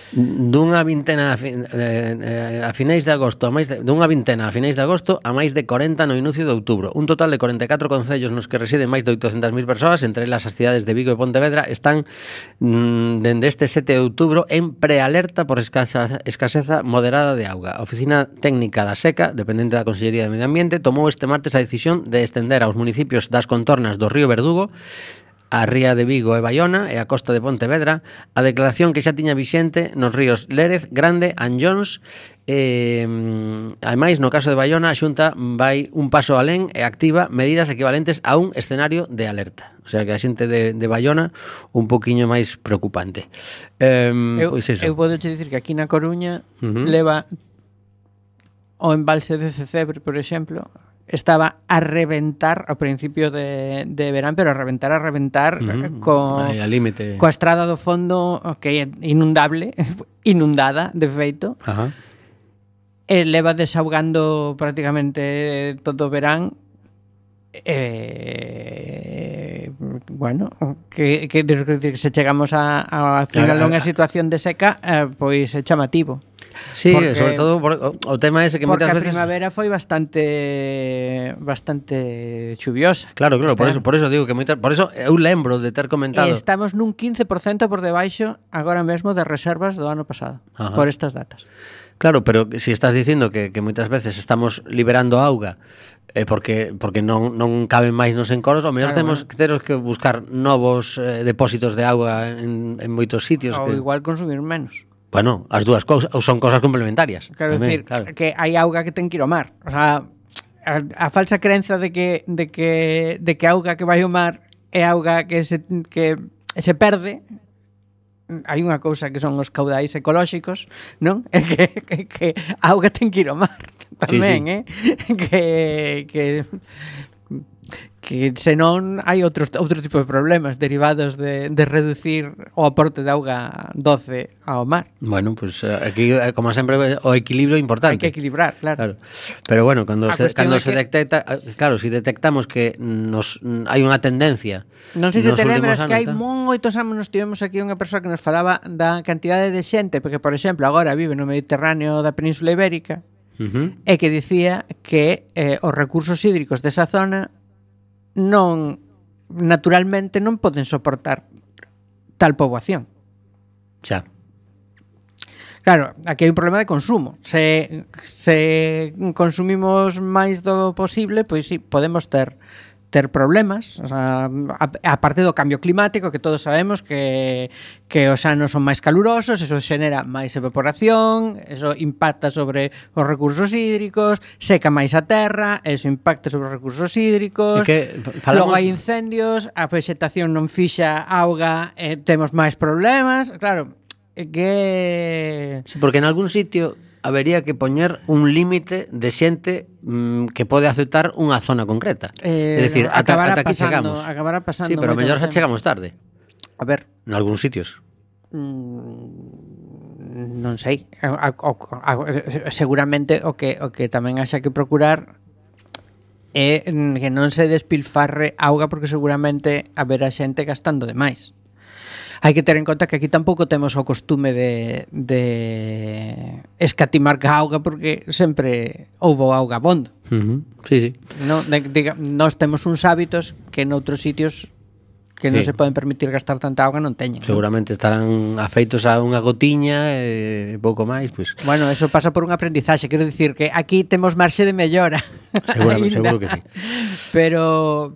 Dunha vintena a, fin, eh, a finais de agosto a máis de, dunha vintena a finais de agosto a máis de corenta no inicio de outubro. Un total de corenta e catro concellos nos que residen máis de oitocentas mil persoas, entre elas as cidades de Vigo e Pontevedra, están mm, dende este sete de outubro en prealerta por escasa, escaseza moderada de auga. A Oficina Técnica da Seca, dependente da Consellería de Medio Ambiente, tomou este martes a decisión de estender aos municipios das contornas do río Verdugo a ría de Vigo e Baiona e a costa de Pontevedra, a declaración que xa tiña vixente nos ríos Lérez, Grande, Anllóns e, ademais, no caso de Baiona, a Xunta vai un paso alén e activa medidas equivalentes a un escenario de alerta. O sea, que a xente de, de Baiona un poquinho máis preocupante. Eh, eu, pois eso. eu podo che dicir que aquí na Coruña Uh-huh. leva o embalse de Cecebre, por exemplo, estaba a reventar ao principio de, de verán, pero a reventar, a reventar Uh-huh. co, Aí, al límite. coa estrada do fondo que é inundable, inundada, de feito, Ajá. e leva desaugando prácticamente todo o verán. Eh, bueno, que, que, que se chegamos a, a final a unha situación de seca, eh, pois é chamativo. Sí, Porque- sobre todo por, o, o tema ese que Porque moitas a veces... primavera foi bastante bastante chuviosa. Claro, claro, por Este eso, por eso digo que moitas, por eso eu lembro de ter comentado. E estamos nun quince por cento por debaixo agora mesmo de reservas do ano pasado. Ajá. Por estas datas. Claro, pero si estás dicindo que, que moitas veces estamos liberando auga eh, porque porque non, non caben máis nos encoros, ao mellor Claro, temos, bueno. temos que buscar novos eh, depósitos de auga en, en moitos sitios. Ou Que, igual consumir menos. bueno, as dúas cousas ou son cosas complementarias. Quero tamén, decir, claro. que hai auga que ten que ir ao mar. O sea, a, a falsa crenza de que de que de que a auga que vai ao mar é auga que se que se perde. Hai unha cousa que son os caudais ecolóxicos, non? É que, que, que a auga ten que ir ao mar tamén, sí. eh? Que que que senón hai outros outro tipo de problemas derivados de, de reducir o aporte de auga doce ao mar. Bueno, pues eh, aquí, eh, como sempre, o equilibrio é importante. Hai que equilibrar, claro. Claro. Pero bueno, cando A se, cuestión cando é se que- detecta, claro, si detectamos que nos hai unha tendencia. Non sei se nos te últimos lembras que anos, hai tal. moitos anos nos tivemos aquí unha persoa que nos falaba da cantidade de xente, porque, por exemplo, agora vive no Mediterráneo da Península Ibérica, Uh-huh. e que dicía que eh, os recursos hídricos desa zona non naturalmente non poden soportar tal poboación. Xa. Claro, aquí hai un problema de consumo. Se, se consumimos máis do posible, pois sí, podemos ter ter problemas, o sea, a, a parte do cambio climático, que todos sabemos que, que os anos son máis calurosos, eso xenera máis evaporación, eso impacta sobre os recursos hídricos, seca máis a terra, eso impacta sobre os recursos hídricos, É que logo falamos- hai incendios, a vegetación non fixa auga, e temos máis problemas, claro, é que... Sí, porque en algún sitio habería que poñer un límite de xente mm, que pode aceptar unha zona concreta. Eh, é dicir, ata, acabará ata aquí pasando- chegamos. acabará pasando Sí, pero moitas mellor xa veces. chegamos tarde, A ver, en algúns sitios. mm, non sei, a, a, a, seguramente o que o que tamén haxa que procurar é que non se despilfarre auga, porque seguramente haberá xente gastando demais. Hai que ter en conta que aquí tampouco temos o costume de, de escatimar ca auga, porque sempre houbo auga abondo. Uh-huh. Sí, sí. No, de, diga, nós temos uns hábitos que noutros sitios que non Sí. se poden permitir gastar tanta auga non teñen. ¿no? Seguramente estarán afeitos a unha gotiña e pouco máis, pois. Bueno, eso pasa por un aprendizaxe. Quero dicir que aquí temos marxe de mellora. Seguramente, Aínda. seguro que sí. Pero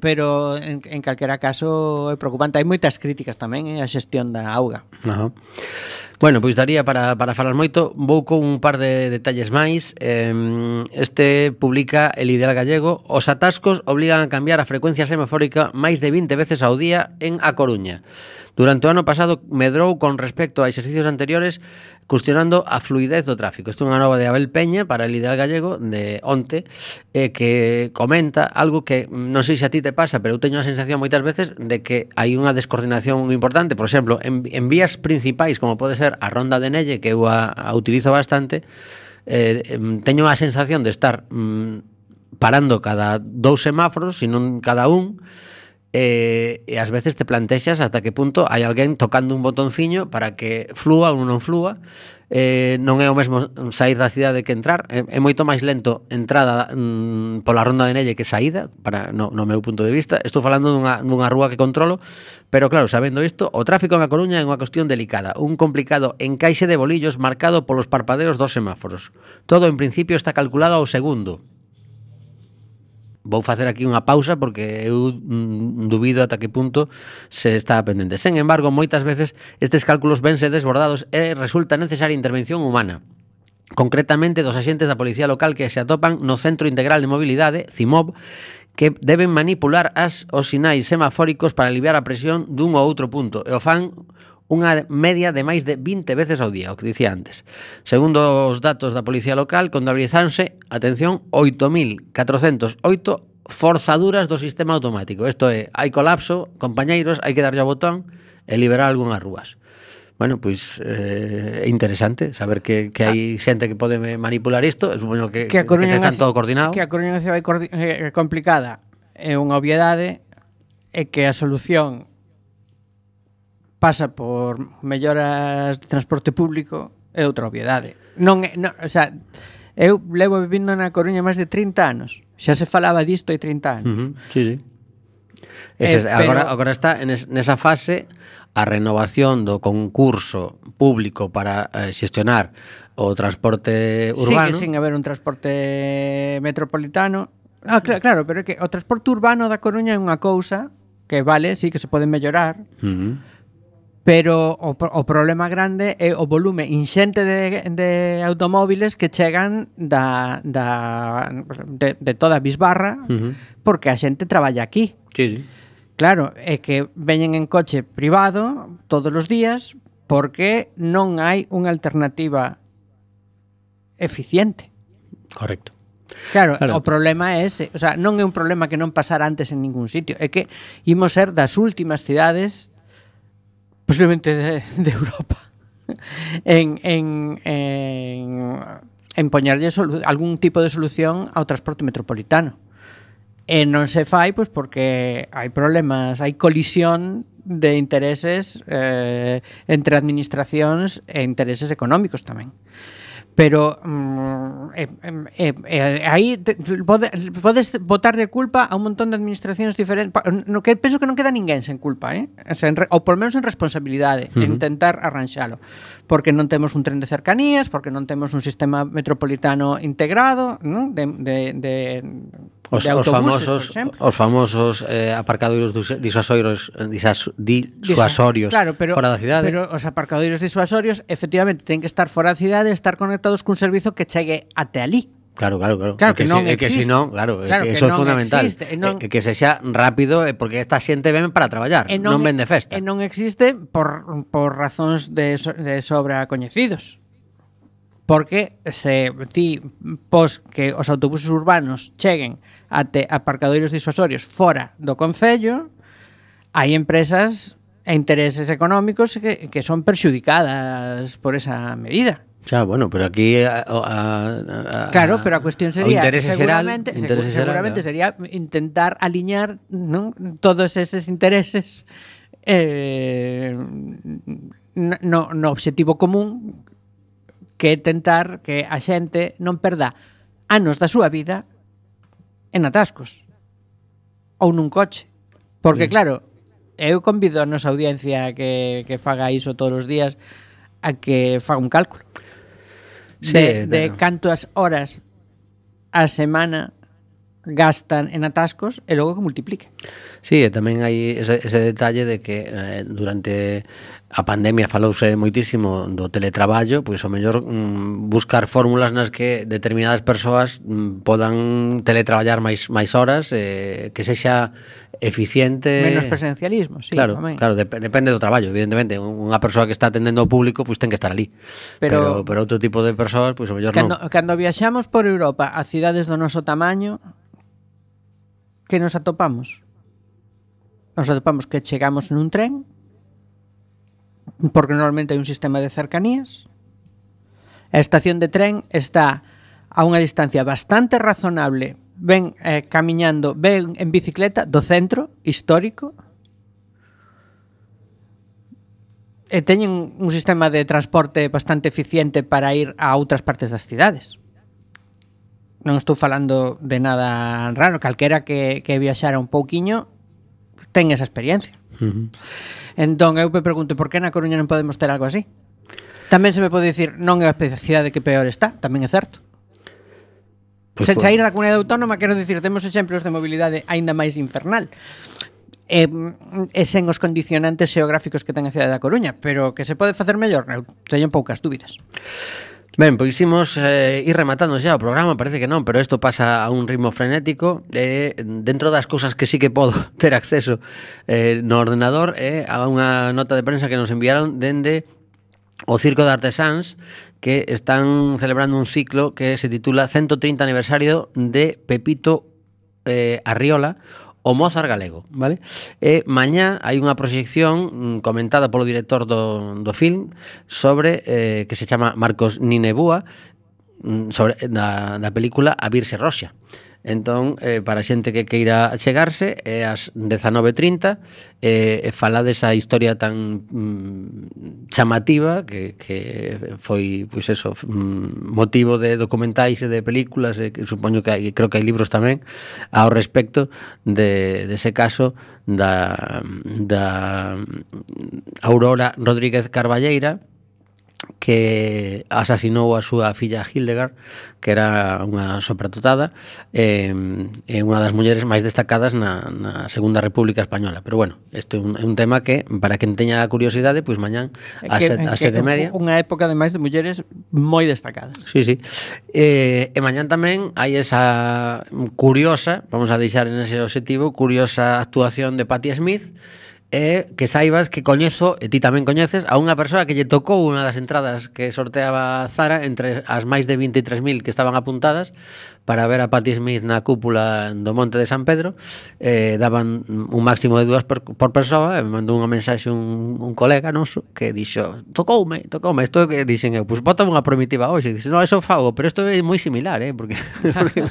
pero en, en calquera caso é preocupante. Hai moitas críticas tamén eh, a xestión da auga. Ajá. Bueno, pois daría para, para falar moito. Vou con un par de detalles máis. eh, Este publica el Ideal Gallego. Os atascos obligan a cambiar a frecuencia semafórica máis de vinte veces ao día en A Coruña. Durante o ano pasado medrou con respecto a exercicios anteriores, cuestionando a fluidez do tráfico. Isto é unha nova de Abel Peña para el Ideal Gallego de onte, eh, que comenta algo que non sei se a ti te pasa, pero eu teño a sensación moitas veces de que hai unha descoordinación importante. Por exemplo, en, en vías principais, como pode ser a Ronda de Nelle, que eu a, a utilizo bastante, eh, em, teño a sensación de estar mm, parando cada dous semáforos, senón cada un, e, e ás veces te plantexas hasta que punto hai alguén tocando un botonciño para que flúa ou non flúa. Eh, non é o mesmo sair da cidade que entrar, é, é moito máis lento entrada mm, pola Ronda de Nelle que saída, para, no, no meu punto de vista. Estou falando dunha, dunha rúa que controlo, pero claro, sabendo isto, o tráfico en A Coruña é unha cuestión delicada, un complicado encaixe de bolillos marcado polos parpadeos dos semáforos. Todo en principio está calculado ao segundo. vou facer aquí unha pausa porque eu mm, dubido ata que punto se está pendente. Sen embargo, moitas veces estes cálculos vense desbordados e resulta necesaria intervención humana. Concretamente dos axentes da Policía Local que se atopan no Centro Integral de Mobilidade, CIMOB, que deben manipular as os sinais semafóricos para aliviar a presión dun ou outro punto e o fan unha media de máis de vinte veces ao día, o que dicía antes. Segundo os datos da Policía Local, contabilizanse, atención, oito mil catrocentos oito forzaduras do sistema automático. Isto é, hai colapso, compañeiros, hai que darlle ao botón e liberar algunhas rúas. Bueno, pois é eh, interesante saber que, que hai xente que pode manipular isto. Supoño que, que, que están todo coordinado. Que a Coruña é unha cidade eh, complicada é unha obviedade e que a solución pasa por melloras de transporte público é outra obviedade. Non, non, o sea, eu levo vivindo na Coruña máis de trinta anos. Xa se falaba disto hai trinta anos. Uh-huh. Sí, sí. Ese, eh, agora, pero... agora está nesa fase a renovación do concurso público para eh, xestionar o transporte urbano. Sí, que sin haber un transporte metropolitano. Ah, claro, claro, pero é que o transporte urbano da Coruña é unha cousa que vale, sí, que se pode mellorar. Uh-huh. Pero o, o problema grande é o volume inxente de, de automóviles que chegan da, da, de, de toda a bisbarra, uh-huh, porque a xente traballa aquí. Sí, sí. Claro, é que veñen en coche privado todos os días porque non hai unha alternativa eficiente. Correcto. Claro, claro, o problema é ese. O sea, non é un problema que non pasara antes en ningún sitio. É que imos ser das últimas cidades posiblemente de, de Europa en, en, en, en poñerlle solu- algún tipo de solución ao transporte metropolitano. E non se fai pois porque hai problemas, hai colisión de intereses eh, entre administracións e intereses económicos tamén. Pero mm, eh, eh, eh, aí te, pode, podes botar de culpa a un montón de administracións diferentes, no que penso que non queda ninguén sen culpa, eh? O sea, en, ou por menos en responsabilidade, uh-huh, en intentar arranxalo, porque non temos un tren de cercanías, porque non temos un sistema metropolitano integrado, ¿no? de, de, de Os, os famosos, os famosos eh, aparcadoiros disuasorios, disas, disuasorios claro, pero, fora da cidade. Pero os aparcadoiros disuasorios efectivamente ten que estar fora da cidade e estar conectados cun servizo que chegue até ali. Claro, claro, claro. Claro que, que non se, existe. Que si non, claro, claro que que eso é non fundamental. Existe, e non, e que se xa rápido, porque esta xente ven para traballar, non, non ven de festa. E non existe por, por razóns de, de sobra coñecidos. Porque se ti pos que os autobuses urbanos cheguen até aparcadoiros disuasorios fora do concello, hai empresas e intereses económicos que, que son perxudicadas por esa medida. Xa, bueno, pero aquí a, a, a, claro, pero a cuestión sería seguramente, será, seguramente será, sería intentar aliñar, ¿no?, todos eses intereses eh, no, no obxectivo común, que é tentar que a xente non perda anos da súa vida en atascos ou nun coche. Porque, sí, claro, eu convido a nosa audiencia que, que faga iso todos os días a que faga un cálculo de, sí, de, de cantas horas a semana gastan en atascos e logo que multiplique. Sí, e tamén hai ese, ese detalle de que eh, durante a pandemia falouse moitísimo do teletraballo, pois ao mellor mm, buscar fórmulas nas que determinadas persoas mm, podan teletraballar máis máis horas, eh, que sexa eficiente. Menos presencialismo, sí, claro, tamén. Claro, dep- depende do traballo, evidentemente. Unha persoa que está atendendo ao público, pois ten que estar ali. Pero, pero, pero outro tipo de persoas, pois ao mellor cando, non. Cando viaxamos por Europa a cidades do noso tamaño, que nos atopamos? Nos atopamos que chegamos nun tren, porque normalmente hai un sistema de cercanías. A estación de tren está a unha distancia bastante razonable, ven eh, camiñando, ven en bicicleta do centro histórico, e teñen un sistema de transporte bastante eficiente para ir a outras partes das cidades. Non estou falando de nada raro, calquera que, que viaxara un pouquiño ten esa experiencia. Uh-huh. Entón, eu me pregunto, por que na Coruña non podemos ter algo así? Tamén se me pode dicir, non é a cidade que peor está, tamén é certo. Pois Se por- sair da comunidade autónoma, quero dicir, temos exemplos de mobilidade aínda máis infernal. E, e sen os condicionantes xeográficos que ten a cidade da Coruña, pero que se pode facer mellor, eu teño poucas dúbidas. Ben, pois imos eh, ir rematando xa o programa, parece que non, pero isto pasa a un ritmo frenético e eh, dentro das cousas que sí que podo ter acceso eh, no ordenador é eh, a unha nota de prensa que nos enviaron dende o Circo de Artesáns, que están celebrando un ciclo que se titula ciento treinta aniversario de Pepito eh, Arriola, o Mozart galego, vale? E mañá hai unha proxección mm, comentada polo director do, do film sobre, eh, que se chama Marcos Ninebúa, mm, sobre da, da película A Virxe Roxa. Entón, eh, para a xente que queira chegarse, é ás dezanove e trinta, eh, e fala desa historia tan mm, chamativa que, que foi, pois eso, mm, motivo de documentais e de películas, e que supoño que hai, creo que hai libros tamén ao respecto de, de ese caso da, da Aurora Rodríguez Carballeira, que asasinou a súa filla Hildegard, que era unha sopratotada, e eh, unha das mulleres máis destacadas na, na Segunda República Española. Pero bueno, isto é un, é un tema que, para quen teña curiosidade, pois mañán a sete e media. Unha época, ademais, de mulleres moi destacadas. Sí, sí. E, e mañán tamén hai esa curiosa, vamos a deixar en ese objetivo, curiosa actuación de Patti Smith, e que saibas que coñezo, e ti tamén coñeces, a unha persoa que lle tocou unha das entradas que sorteaba Zara entre as máis de vinte e tres mil que estaban apuntadas para ver a Patti Smith na cúpula do Monte de San Pedro. Eh, daban un máximo de dúas por, por persoa, e me mandou unha mensaxe un, un colega noso que dixo, tocoume, tocoume, isto que dixen eu, pois bota unha primitiva hoxe, e dixe, no, eso fago, pero isto é moi similar, eh, porque, porque...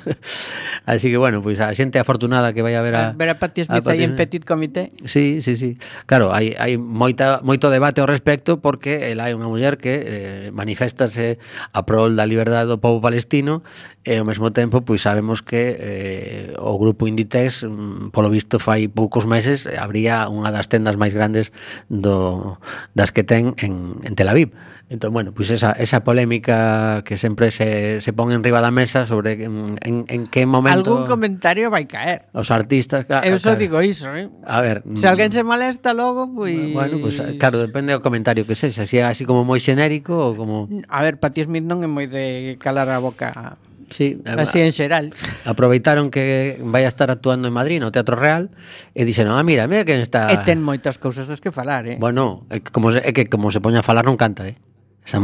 así que bueno, pois a xente afortunada que vai a ver a ver a Patti Smith aí en Petit Comité. Sí, sí, sí. Claro, hai, hai moita, moito debate ao respecto, porque ela é unha muller que eh, maniféstase a prol da liberdade do povo palestino, e ao mesmo tempo pois sabemos que eh, o grupo Inditex, polo visto fai poucos meses, abría unha das tendas máis grandes do, das que ten en, en Tel Aviv. Entón, bueno, pois esa, esa polémica que sempre se, se pon en riba da mesa sobre en, en, en que momento... Algún comentario vai caer. Os artistas... Claro, Eu só claro. digo iso, eh? A ver... Se alguén se molesta logo, pois... Bueno, pues, claro, depende do comentario que sexa. Se é así como moi xenérico ou como... A ver, Patti Smith non é moi de calar a boca... Sí, así en xeral. Aproveitaron que vai a estar actuando en Madrid no Teatro Real e dixeron, ah, mira, mira quen está... E ten moitas cousas das que falar, eh? Bueno, é que como se, é que como se poña a falar non canta, eh? Esa,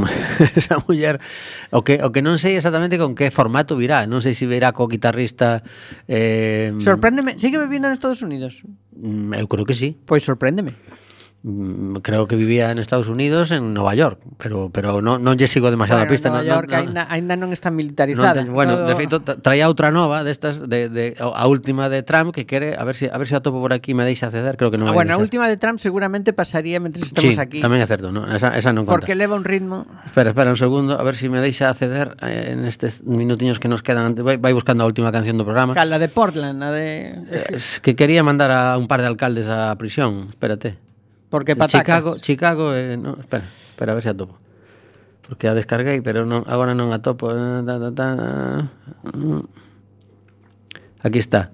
esa muller, o que, o que non sei exactamente con que formato virá, non sei se virá co guitarrista... Eh, Sorpréndeme, sigue vivindo en Estados Unidos? Eu creo que sí. Pois sorpréndeme. Creo que vivía en Estados Unidos, en Nova York, pero pero non non lle sigo demasiado bueno, a pista. Nova non, York non, ainda, ainda non está militarizada. Non te, bueno, Todo... de feito traía outra nova destas de, de a última de Trump que quere, a ver se si, a ver se si a topo por aquí me deixa acceder, creo que non ah, vai bueno, a deixar. última de Trump seguramente pasaría mentres estamos sí, aquí. Tamén é certo, no, esa esa non conta. Porque leva un ritmo. Espera, espera un segundo, a ver se si me deixa acceder en estes minutiños que nos quedan. Vai, vai buscando a última canción do programa. Cal, la de Portland, la de Es que quería mandar a un par de alcaldes á prisión, espérate. Porque patacas. Chicago, Chicago, eh, no, espera, espera a ver se a topo. Porque a descarguei, pero non, agora non a topo. Ta, ta, ta. Aquí está.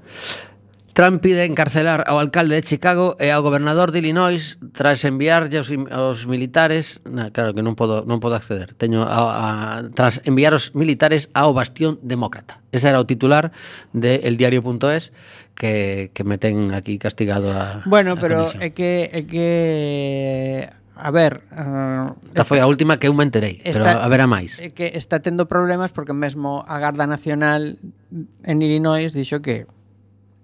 Trump pide encarcelar ao alcalde de Chicago e ao gobernador de Illinois tras enviarlle aos, aos militares, na, claro que non podo non podo acceder. Teño a, a, tras enviar os militares ao bastión demócrata. Ese era o titular de el diario punto es que que me ten aquí castigado a Bueno, a pero comisión. é que é que a ver, uh, esta foi a última que eu me enterei, pero a ver a máis. É que está tendo problemas porque mesmo a Garda Nacional en Illinois dixo que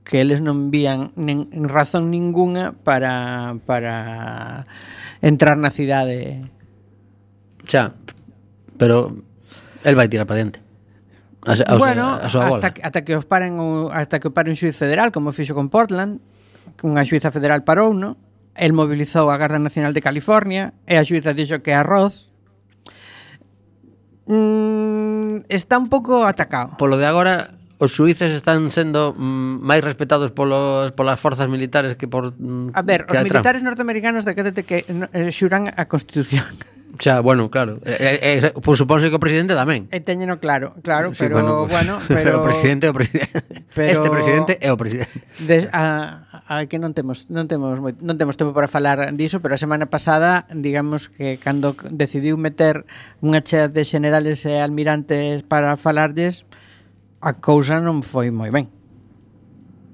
que eles non vían nin, razón ninguna para para entrar na cidade. Xa, pero el vai tirar para diante. A, a, bueno, a súa hasta, que, ata que os paren o, hasta que o pare un xuiz federal, como fixo con Portland, que unha xuiza federal parou, no? El mobilizou a Garda Nacional de California e a xuiza dixo que arroz. Mm, está un pouco atacado. Polo de agora, os xuíces están sendo mm, máis respetados polos, polas forzas militares que por... Mm, a ver, que os a militares norteamericanos decrétate que eh, xuran a Constitución. Xa, bueno, claro. Eh, eh, pues supónse que o presidente tamén. E teñeno claro, claro, Sí, pero bueno, pues, pero, pero o presidente é o presidente. pero, Este presidente é o presidente. Des, a, a que non temos non temos moi, non temos tempo para falar diso, pero a semana pasada, digamos que cando decidiu meter unha chea de generales e almirantes para falarlles, a cousa non foi moi ben.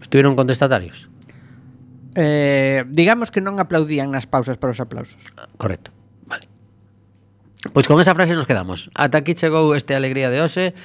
Estiveron contestatarios. Eh, digamos que non aplaudían nas pausas para os aplausos. Correcto. Vale. Pois con esa frase nos quedamos. Ata aquí chegou este Alegría de hoxe.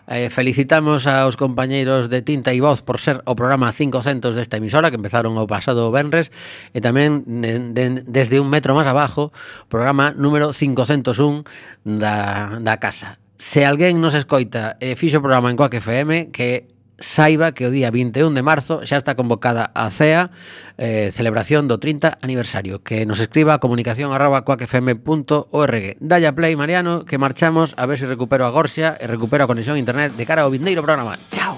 Eh, felicitamos aos compañeiros de Tinta e Voz por ser o programa quinhentos desta emisora que empezaron o pasado venres e tamén de, de, desde un metro máis abajo programa número quinhentos un da, da casa. Se alguén nos escoita e fixo o programa en Quack F M, que saiba que o día vinte e un de marzo xa está convocada a cea, eh, celebración do trinta aniversario. Que nos escriba a comunicación arroba quack f m punto org. Dalle a play, Mariano, que marchamos a ver se recupero a Gorsia e recupero a conexión a internet de cara ao vindeiro programa. Chao.